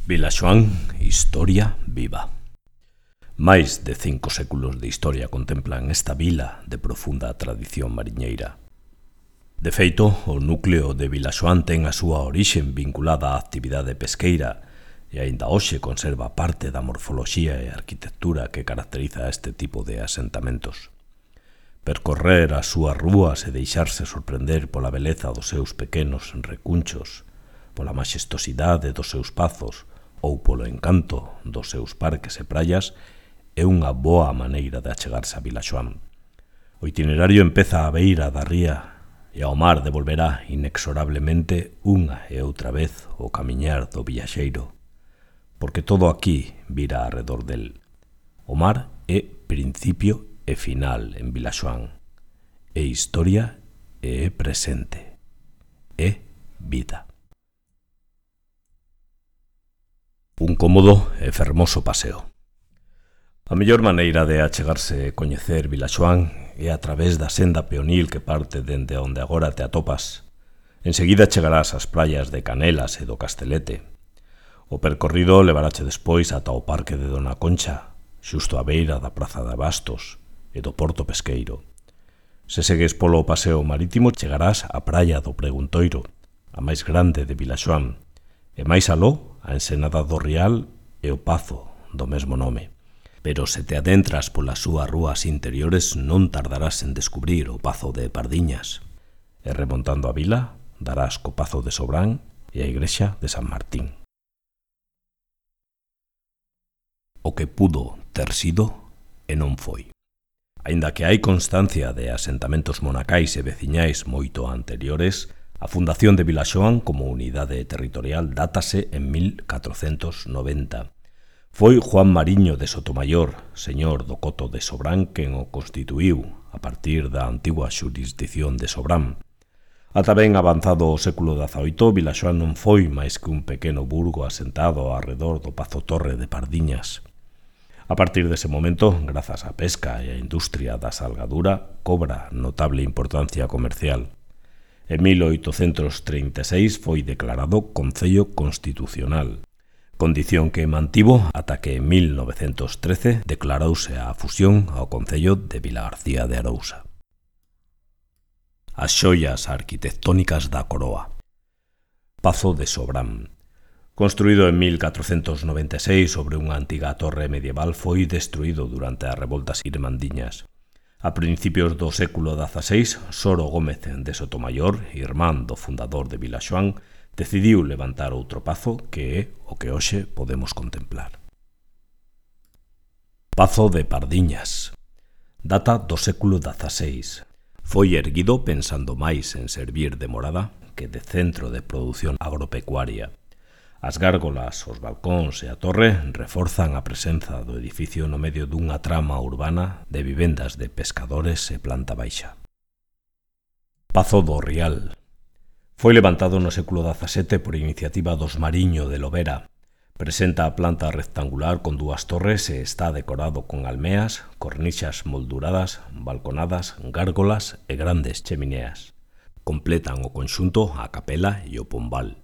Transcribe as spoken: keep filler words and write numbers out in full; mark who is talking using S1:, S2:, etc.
S1: Vilaxoán, historia viva. Máis de cinco séculos de historia contemplan esta vila de profunda tradición mariñeira. De feito, o núcleo de Vilaxoán ten a súa orixen vinculada á actividade pesqueira e aínda hoxe conserva parte da morfoloxía e arquitectura que caracteriza este tipo de asentamentos. Percorrer as súas rúas e deixarse sorprender pola beleza dos seus pequenos recunchos, pola maxestosidade dos seus pazos ou polo encanto dos seus parques e praias é unha boa maneira de achegarse a Vilaxoán. O itinerario empeza á beira da ría e ao mar devolverá inexorablemente unha e outra vez o camiñar do viaxeiro, porque todo aquí vira arredor del. O mar é principio e final en Vilaxoán, é historia e é presente, é vida. Un cómodo e fermoso paseo. A mellor maneira de achegarse e coñecer Vilaxoán é a través da senda peonil que parte dende onde agora te atopas. Enseguida chegarás ás praias de Canelas e do Castelete. O percorrido levarache despois ata o Parque de Dona Concha, xusto á beira da Praza de Abastos e do Porto Pesqueiro. Se segues polo paseo marítimo chegarás á praia do Preguntoiro, a máis grande de Vilaxoán, e máis aló a Ensenada do Rial e o Pazo do mesmo nome. Pero se te adentras polas súas rúas interiores non tardarás en descubrir o Pazo de Pardiñas. E remontando a vila, darás co Pazo de Sobrán e a igrexa de San Martín. O que pudo ter sido e non foi. Aínda que hai constancia de asentamentos monacais e veciñais moito anteriores, a fundación de Vilaxoán como unidade territorial dátase en mil catrocentos noventa. Foi Juan Mariño de Sotomayor, señor do Coto de Sobrán, quen o constituíu a partir da antigua xurisdición de Sobrán. Ata ben avanzado o século dezaoito, Vilaxoán non foi máis que un pequeno burgo asentado arredor do Pazo Torre de Pardiñas. A partir dese momento, grazas á pesca e á industria da salgadura, cobra notable importancia comercial. En mil oitocentos trinta e seis foi declarado Concello Constitucional, condición que mantivo ata que en mil novecentos trece declarouse a fusión ao Concello de Vilagarcía de Arousa. As xoias arquitectónicas da coroa. Pazo de Sobrán. Construído en mil catrocentos noventa e seis sobre unha antiga torre medieval, foi destruído durante as revoltas irmandiñas. A principios do século dezaseis, Soro Gómez de Sotomayor, irmán do fundador de Vilaxoán, decidiu levantar outro pazo que é o que hoxe podemos contemplar. Pazo de Pardiñas. Data do século dezaseis. Foi erguido pensando máis en servir de morada que de centro de produción agropecuaria. As gárgolas, os balcóns e a torre reforzan a presenza do edificio no medio dunha trama urbana de vivendas de pescadores e planta baixa. Pazo do Rial. Foi levantado no século dezasete por iniciativa dos Mariño de Lobera. Presenta a planta rectangular con dúas torres e está decorado con almeas, cornixas molduradas, balconadas, gárgolas e grandes chemineas. Completan o conxunto a capela e o pombal.